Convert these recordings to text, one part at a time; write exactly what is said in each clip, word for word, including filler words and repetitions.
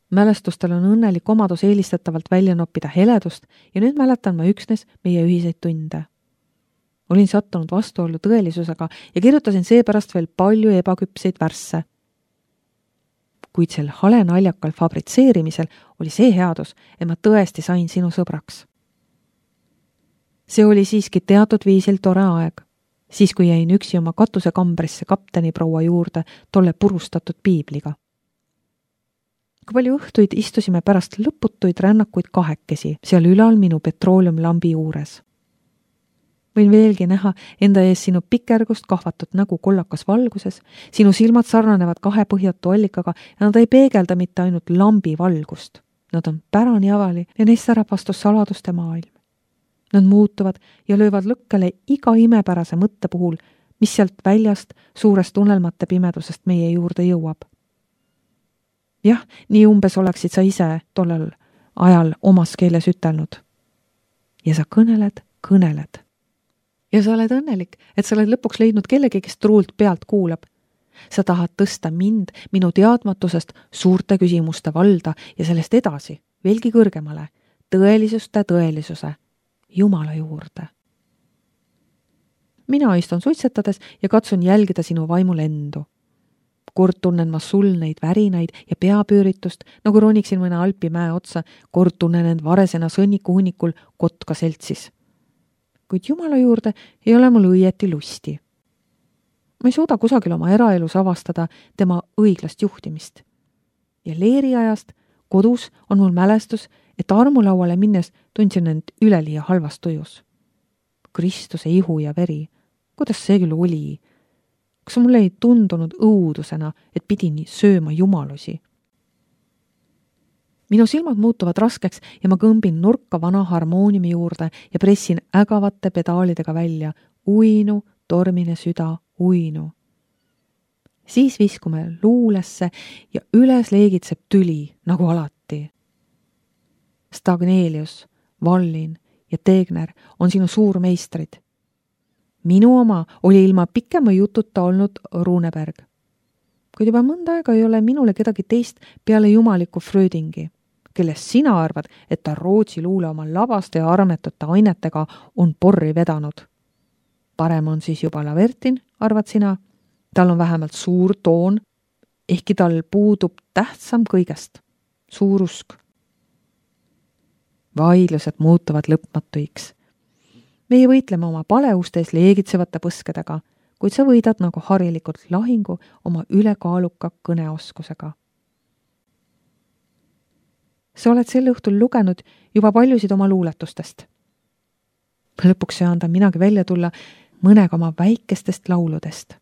Mälestustel on õnnelik omadus eelistatavalt välja noppida heledust ja nüüd mäletan ma üksnes meie ühiseid tunde. Olin sattunud vastuollu tõelisusega ja kirjutasin seepärast veel palju ebaküpseid värsse. Kuid sel hale naljakal fabritseerimisel oli see headus, et ma tõesti sain sinu sõbraks. See oli siiski teatud viisil tore aeg, siis kui jäin üksi oma katusekambrisse kapteni proua juurde tolle purustatud piibliga. Kui palju õhtuid istusime pärast lõputuid rännakuid kahekesi seal ülal minu petrooliumlambi juures. Võin veelgi näha enda ees sinu pikergust kahvatud nägu kollakas valguses, sinu silmad sarnanevad kahe põhjatu allikaga ja nad ei peegelda mitte ainult lambi valgust. Nad on pärani avali ja neist särab vastu saladuste maailm. Nad muutuvad ja löövad lõkkele iga imepärase mõtte puhul, mis sealt väljast suurest unelmate pimedusest meie juurde jõuab. Jah, nii umbes oleksid sa ise tollel ajal omas keeles ütelnud. Ja sa kõneled, kõneled. Ja sa oled õnnelik, et sa oled lõpuks leidnud kellegi, kes truult pealt kuulab. Sa tahad tõsta mind minu teadmatusest suurte küsimuste valda ja sellest edasi, veelgi kõrgemale, tõelisuste tõelisuse, Jumala juurde. Mina istun suitsetades ja katsun jälgida sinu vaimu lendu. Kord tunnen ma sul neid värinaid ja peapüüritust, nagu roniksin mõne Alpi mäe otsa, kord tunnen end varesena sõnniku hunnikul kotka seltsis. Kuid Jumala juurde ei ole mul õieti lusti. Ma ei suuda kusagil oma eraelus avastada tema õiglast juhtimist. Ja leeriajast kodus on mul mälestus, et armulauale minnes tundsin end üleliia halvas tujus. Kristuse ihu ja veri, kuidas see küll oli? Kas mulle ei tundunud õudusena, et pidin sööma jumalusi? Minu silmad muutuvad raskeks ja ma kõmbin nurka vana harmooniumi juurde ja pressin ägavate pedaalidega välja uinu, tormine süda, uinu. Siis viskume luulesse ja üles leegitseb tüli, nagu alati. Stagnelius, Vallin ja Tegner on sinu suurmeistrid. Minu oma oli ilma pikema jututa olnud Runeberg. Kuid juba mõnda aega ei ole minule kedagi teist peale jumaliku Frödingi, kellest sina arvad, et ta Rootsi luule oma labaste ja armetute ainetega on porri vedanud. Parem on siis juba Lavertin, arvad sina, tal on vähemalt suur toon, ehkki tal puudub tähtsam kõigest, suur usk. Vaidlused muutuvad lõpmatuiks. Meie võitleme oma paleustes leegitsevate põskedega, kuid sa võidad nagu harilikult lahingu oma ülekaaluka kõneoskusega. Sa oled sel õhtul lugenud juba paljusid oma luuletustest. Lõpuks söandan minagi välja tulla mõnega oma väikestest lauludest.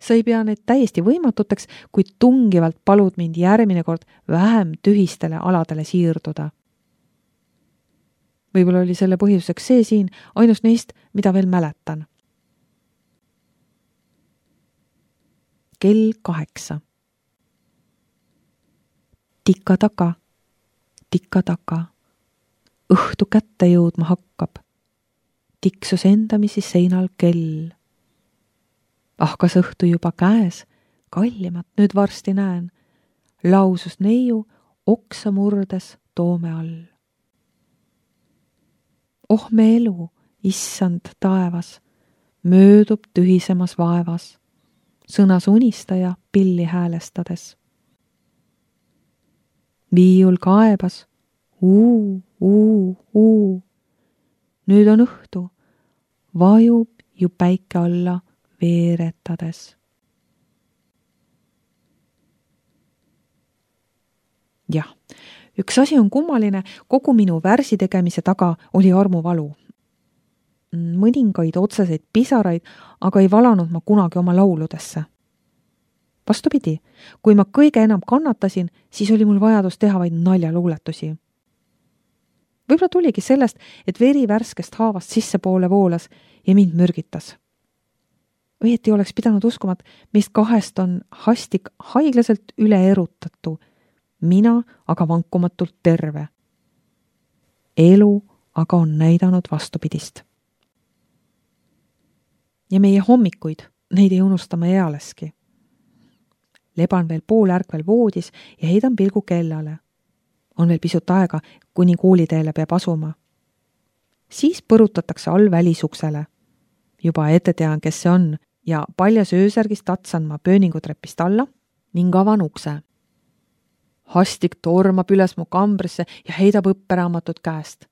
Sa ei pea neid täiesti võimatuteks, kuid tungivalt palud mind järgmine kord vähem tühistele aladele siirduda. Võib-olla oli selle põhjuseks see siin ainus neist, mida veel mäletan. Kell kaheksa. Tikka taka, tikka taka. Õhtu kätte jõudma hakkab. Tiksus endamisi seinal kell. Ah, kas õhtu juba käes, kallimat nüüd varsti näen. Lausus neiu oksa murdes toome all. Oh me elu, issand taevas, möödub tühisemas vaevas, sõnas unistaja pilli häälestades. Viiul kaebas, uu, uu, uu. Nüüd on õhtu, vajub ju päike alla veeretades. Jah, üks asi on kummaline, kogu minu värsi tegemise taga oli armuvalu. Mõningaid otseseid pisaraid, aga ei valanud ma kunagi oma lauludesse. Vastupidi, kui ma kõige enam kannatasin, siis oli mul vajadus teha vaid naljaluuletusi. Võib-olla tuligi sellest, et veri värskest haavast sissepoole voolas ja mind mürgitas. Õieti oleks pidanud uskuma, et meist kahest on hastik haiglaselt üle erutatu, mina aga vankumatult terve. Elu aga on näidanud vastupidist. Ja meie hommikuid, neid ei unustama ealeski. leban veel poolärkvel voodis ja heidan pilgu kellale. On veel pisut aega, kuni kooliteele peab asuma. Siis põrutatakse all välisuksele. Juba ette tean, kes see on ja paljas öösärgis tatsan ma pööningutrepist alla ning avan ukse. Hastik tormab üles mu kambrisse ja heidab õpperaamatut käest.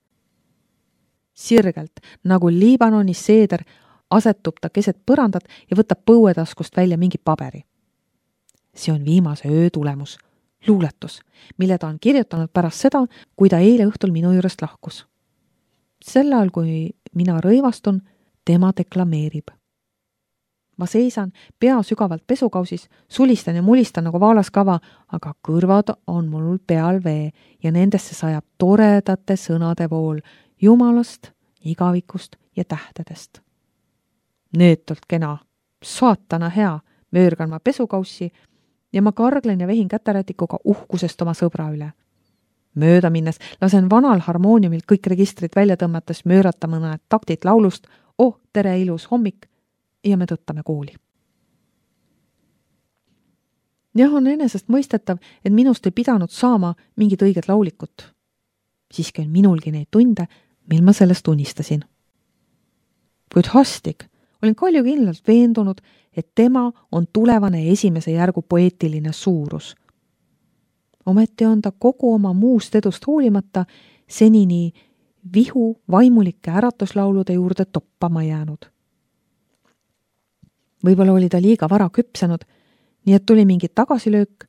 Sirgelt, nagu Liibanoni seeder, asetub ta keset põrandat ja võtab põuetaskust välja mingi paberi. See on viimase öö tulemus, luuletus, mille ta on kirjutanud pärast seda, kui ta eile õhtul minu juurest lahkus. Sel ajal, kui mina rõivastun, tema deklameerib. Ma seisan pea sügavalt pesukausis, sulistan ja mulistan nagu vaalaskava, aga kõrvad on mul peal vee ja nendesse sajab toredate sõnade vool Jumalast, igavikust ja tähtedest. Neetult kena, saatana hea, möörgan ma pesukaussi ja ma karglen ja vehin käterätikuga uhkusest oma sõbra üle. Mööda minnes lasen vanal harmooniumil kõik registrid välja tõmmates möörata mõned taktid laulust "Oh, tere ilus hommik" ja me tõttame kooli. Jah, on enesest mõistetav, et minust ei pidanud saama mingit õiget laulikut. Siiski on minulgi neid tunde, mil ma sellest unistasin. Kuid Hastik olin kalju kindlalt veendunud, et tema on tulevane esimese järgu poeetiline suurus. Ometi on ta kogu oma muust edust hoolimata senini vihu vaimulike äratuslaulude juurde toppama jäänud. Võib-olla oli ta liiga vara küpsenud, nii et tuli mingi tagasilöök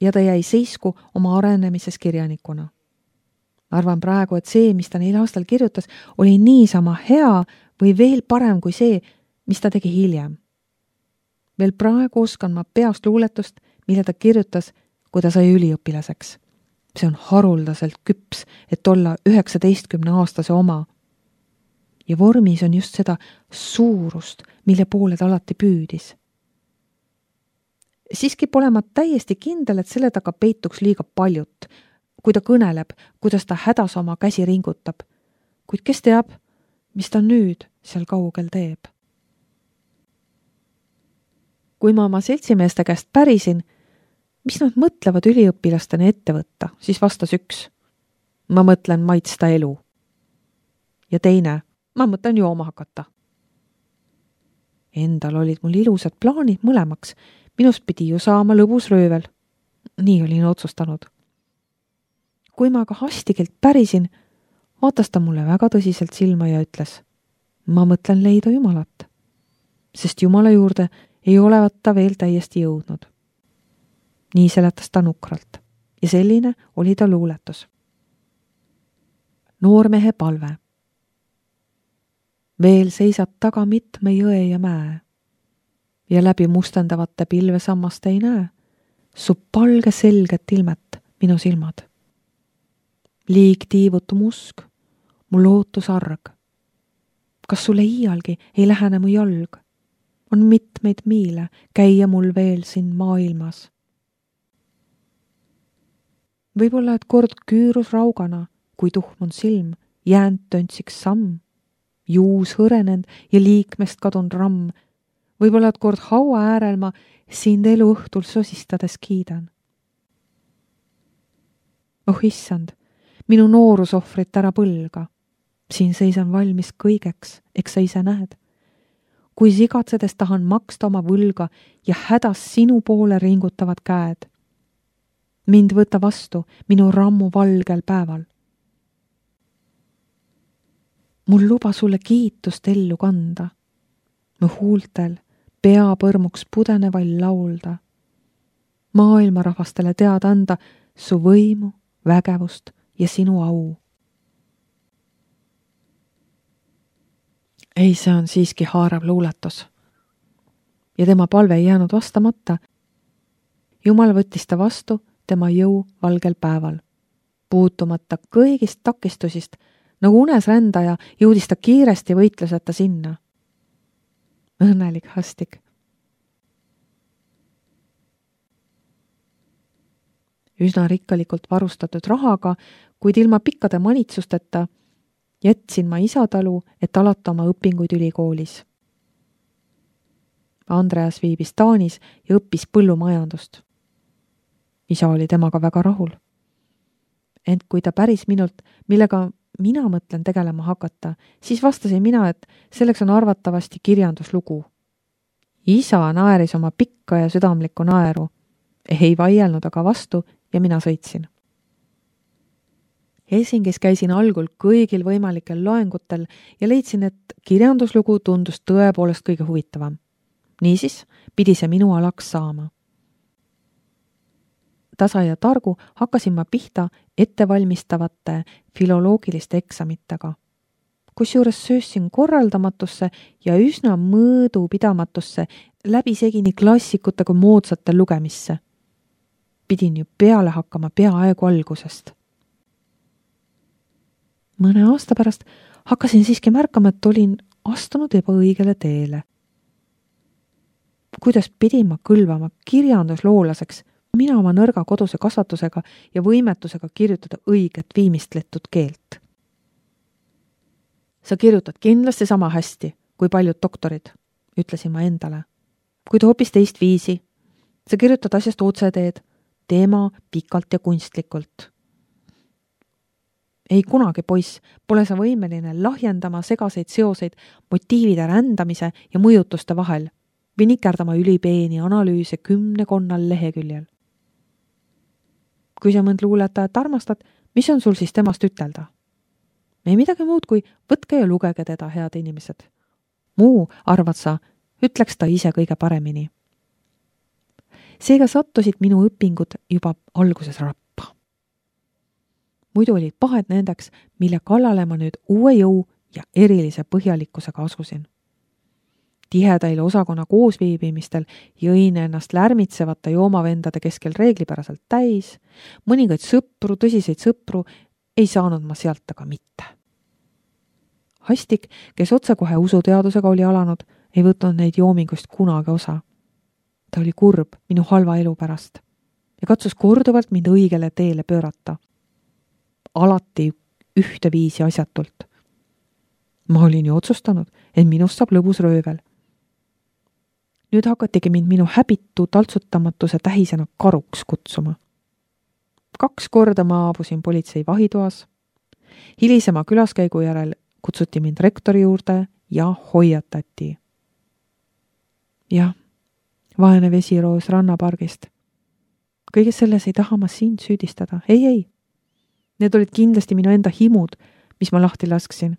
ja ta jäi seisku oma arenemises kirjanikuna. Arvan praegu, et see, mis ta neil aastal kirjutas, oli niisama hea või veel parem kui see, mis ta tegi hiljem. Veel praegu oskan ma peast luuletust, mille ta kirjutas, kui ta sai üliõpilaseks. See on haruldaselt küps, et olla üheksateistkümne aastase oma. Ja vormis on just seda suurust, mille poole ta alati püüdis. Siiski pole ma täiesti kindel, et selle taga peituks liiga paljut, kui ta kõneleb, kuidas ta hädas oma käsi ringutab. Kuid kes teab, mis ta nüüd seal kaugel teeb? Kui ma oma seltsimeeste käest pärisin, mis nad mõtlevad üliõpilastena ette võtta, siis vastas üks. Ma mõtlen maitsta elu. Ja teine, ma mõtlen jooma hakata. Endal olid mul ilusad plaanid mõlemaks. Minust pidi ju saama lõbus röövel. Nii olin otsustanud. Kui ma aga Hastikelt pärisin, vaatas ta mulle väga tõsiselt silma ja ütles, ma mõtlen leida Jumalat, sest Jumala juurde ei olevat ta veel täiesti jõudnud. Nii seletas ta nukralt ja selline oli ta luuletus. Noormehe palve. Veel seisad taga mitme jõe ja mäe ja läbi mustendavate pilvesammaste ei näe su palge selget ilmet minu silmad. Liig tiivutu musk, mu lootus arg. Kas sulle iialgi ei lähene mu jalg? On mitmeid miile käia mul veel siin maailmas. Võib-olla, et kord küürus raugana, kui tuhm on silm, jäänd töntsiks samm, juus hõrenend ja liikmest kadun ramm. Võib-olla, et kord haua äärel ma sind elu õhtul sosistades kiidan. Oh issand, minu noorusohvrit ära põlga. Siin seisan valmis kõigeks, eks sa ise näed. Kui sigatsedes tahan maksta oma võlga ja hädas sinu poole ringutavad käed. Mind võta vastu minu rammu valgel päeval. Mul luba sulle kiitust ellu kanda. Mu huultel pea põrmuks pudeneval laulda. Maailma rahvastele teada anda su võimu, vägevust ja sinu au. Ei, see on siiski haarav luuletus. Ja tema palve ei jäänud vastamata. Jumal võttis ta vastu tema jõu valgel päeval. Puutumata kõigist takistusist, nagu unes rändaja, jõudis ta kiiresti võitluseta sinna. Õnnelik Hastik. Üsna rikkalikult varustatud rahaga, kuid ilma pikkade manitsusteta, jätsin ma isatalu, et alata oma õpinguid ülikoolis. Andreas viibis Taanis ja õppis põllumajandust. Isa oli temaga väga rahul. Ent kui ta päris minult, millega mina mõtlen tegelema hakata, siis vastasin mina, et selleks on arvatavasti kirjanduslugu. Isa naeris oma pikka ja südamlikku naeru. Ei vaielnud aga vastu ja mina sõitsin. Helsingis käisin algul kõigil võimalikel loengutel ja leidsin, et kirjanduslugu tundus tõepoolest kõige huvitavam. Niisiis pidi see minu alaks saama. Tasa ja targu hakkasin ma pihta ettevalmistavate filoloogiliste eksamitega. Kusjuures söössin korraldamatusse ja üsna mõõdupidamatusse läbisegi nii klassikute kui moodsate lugemisse. Pidin ju peale hakkama peaaegu algusest. Mõne aasta pärast hakkasin siiski märkama, et olin astunud ebaõigele teele. Kuidas pidin ma kõlvama kirjandusloolaseks, mina oma nõrga koduse kasvatusega ja võimetusega kirjutada õiget viimistletud keelt. Sa kirjutad kindlasti sama hästi kui paljud doktorid, ütlesin ma endale. Kuid hoopis teist viisi. Sa kirjutad asjast otseteed, teema pikalt ja kunstlikult. Ei kunagi, poiss, pole sa võimeline lahjendama segaseid seoseid motiivide rändamise ja mõjutuste vahel või nikerdama ülipeeni analüüse kümnekonnal leheküljel. Kui sa mõnd luuletajat armastad, mis on sul siis temast ütelda? Ei midagi muud kui võtke ja lugege teda, head inimesed. Muu, arvad sa, ütleks ta ise kõige paremini. Seega sattusid minu õpingud juba alguses rappa. Muidu olid pahed nendeks, mille kallale ma nüüd uue jõu ja erilise põhjalikkusega asusin. Tihedail osakonna koosviibimistel jõin ennast lärmitsevate joomavendade keskel reeglipäraselt täis, mõningaid sõpru, tõsiseid sõpru ei saanud ma sealt aga mitte. Hastik, kes otsekohe usuteadusega oli alanud, ei võtnud neid joomingust kunagi osa. Ta oli kurb minu halva elu pärast ja katsus korduvalt mind õigele teele pöörata. Alati ühte viisi asjatult. Ma olin ju otsustanud, et minust saab lõbus röövel. Nüüd hakatigi mind minu häbitu taltsutamatuse tähisena karuks kutsuma. Kaks korda ma aabusin politsei vahitoas. Hilisema külaskäigu järel kutsuti mind rektori juurde ja hoiatati. Jah, vaene vesiroos rannapargist. Kõige selles ei taha ma sind süüdistada. Ei, ei. Need olid kindlasti minu enda himud, mis ma lahti lasksin.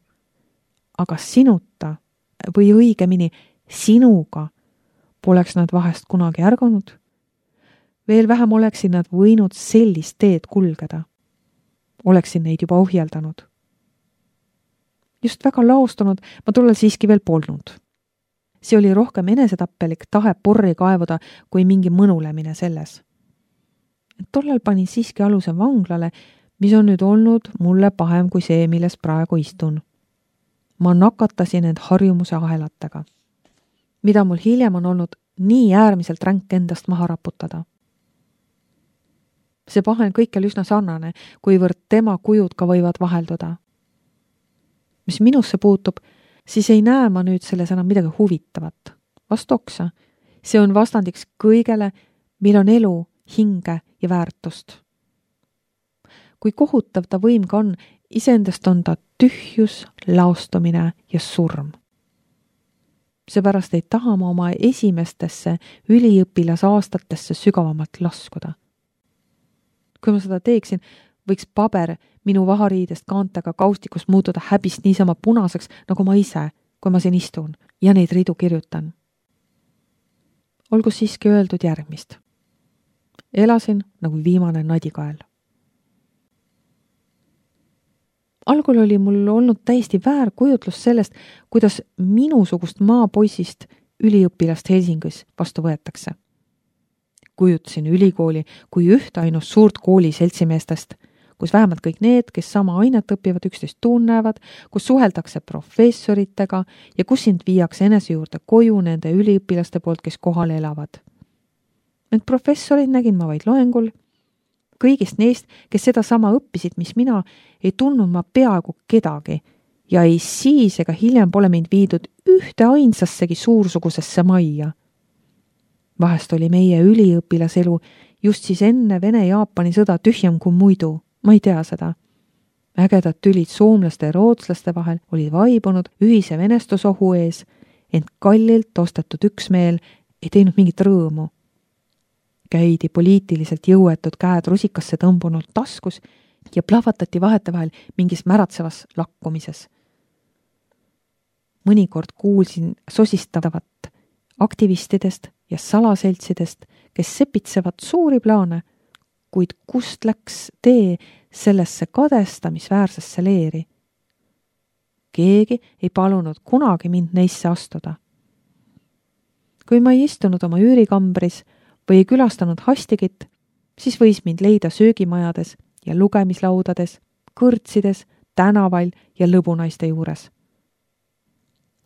Aga sinuta, või õigemini sinuga, poleks nad vahest kunagi ärganud. Veel vähem oleksin nad võinud sellist teed kulgeda. Oleksin neid juba ohjeldanud. Just väga laostunud ma tollel siiski veel polnud. See oli rohkem enesetappelik tahe porri kaevuda kui mingi mõnulemine selles. Tollel panin siiski aluse vanglale, mis on nüüd olnud mulle pahem kui see, milles praegu istun. Ma nakatasin end harjumuse ahelatega, mida mul hiljem on olnud nii äärmiselt ränk endast maha raputada. See pahe on kõikjal üsna sarnane, kuivõrd tema kujud ka võivad vahelduda. Mis minusse puutub, siis ei näe ma nüüd selles enam midagi huvitavat. Vastoksa, see on vastandiks kõigele, mil on elu, hinge ja väärtust. Kui kohutav ta võim ka on, iseendast on ta tühjus, laostumine ja surm. Seepärast ei taha ma oma esimestesse üliõpilasaastatesse sügavamalt laskuda. Kui ma seda teeksin, võiks paber minu vahariidest kaantega kaustikust muutuda häbist niisama punaseks, nagu ma ise, kui ma siin istun ja neid ridu kirjutan. Olgu siiski öeldud järgmist. Elasin nagu viimane nadikael. Algul oli mul olnud täiesti väär kujutlus sellest, kuidas minusugust maapoisist üliõpilast Helsingis vastu võetakse. Kujutasin ülikooli kui ühte ainust suurt kooli seltsimeestest, kus vähemalt kõik need, kes sama ainet õpivad, üksteist tunnevad, kus suheldakse professoritega ja kus sind viiakse enese juurde koju nende üliõpilaste poolt, kes kohal elavad. Need professorid nägin ma vaid loengul. Kõigist neist, kes seda sama õppisid, mis mina, ei tundnud ma peaaegu kedagi ja ei siis ega hiljem pole mind viidud ühte ainsassegi suursugusesse majja. Vahest oli meie üliõpilaselu just siis enne Vene-Jaapani sõda tühjem kui muidu, ma ei tea seda. Ägedad tülid soomlaste ja rootslaste vahel olid vaibunud ühise venestusohu ees, ent kallilt ostetud üksmeel ei teinud mingit rõõmu. Käidi poliitiliselt jõuetud käed rusikasse tõmbunult taskus ja plahvatati vahetevahel mingis märatsevas lakkumises. Mõnikord kuulsin sosistavat aktivistidest ja salaseltsidest, kes sepitsevad suuri plaane, kuid kust läks tee sellesse kadestamisväärsesse leeri? Keegi ei palunud kunagi mind neisse astuda. Kui ma ei istunud oma üürikambris või ei külastanud hastigit, siis võis mind leida söögimajades ja lugemislaudades, kõrtsides, tänaval ja lõbunaiste juures.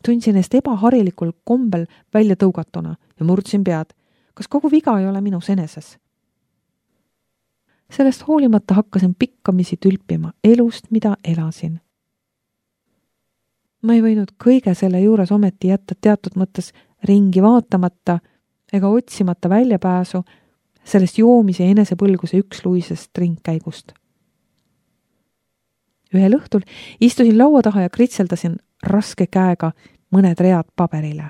Tundsin eest ebaharilikul kombel välja tõugatuna ja murdsin pead, kas kogu viga ei ole minus eneses. Sellest hoolimata hakkasin pikkamisi tülpima elust, mida elasin. Ma ei võinud kõige selle juures ometi jätta teatud mõttes ringi vaatamata ega otsimata väljapääsu sellest joomise ja enesepõlguse üksluisest ringkäigust. Ühel õhtul istusin laua taha ja kritseldasin raske käega mõned read paberile.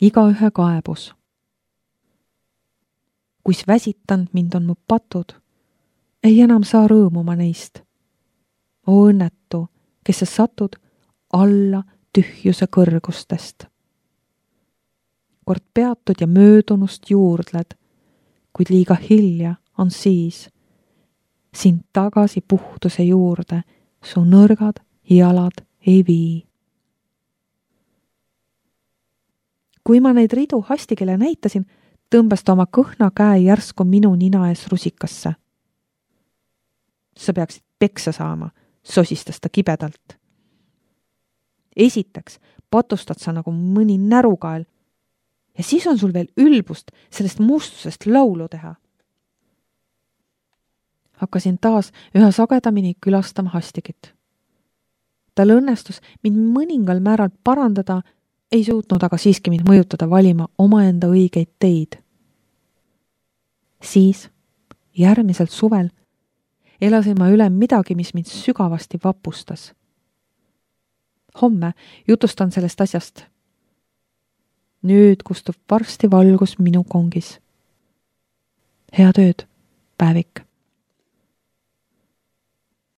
Igaühe kaebus. Kuis väsitanud mind on mu patud, ei enam saa rõõmuma neist. O õnnetu, kes sa satud alla tühjuse kõrgustest. Kord peatud ja möödunust juurdled, kuid liiga hilja on siis sind tagasi puhtuse juurde su nõrgad jalad ei vii. Kui ma neid ridu hastikele näitasin, tõmbas ta oma kõhna käe järsku minu nina ees rusikasse. Sa peaksid peksa saama, sosistas ta kibedalt. Esiteks patustad sa nagu mõni närukael ja siis on sul veel ülbust sellest mustusest laulu teha. Hakkasin taas üha sagedamini külastama hastigit. Tal õnnestus mind mõningal määral parandada, ei suutnud aga siiski mind mõjutada valima omaenda õigeid teid. Siis, järgmiselt suvel, elasin ma üle midagi, mis mind sügavasti vapustas. Homme jutustan sellest asjast. Nüüd kustub varsti valgus minu kongis. Head ööd, Päevik.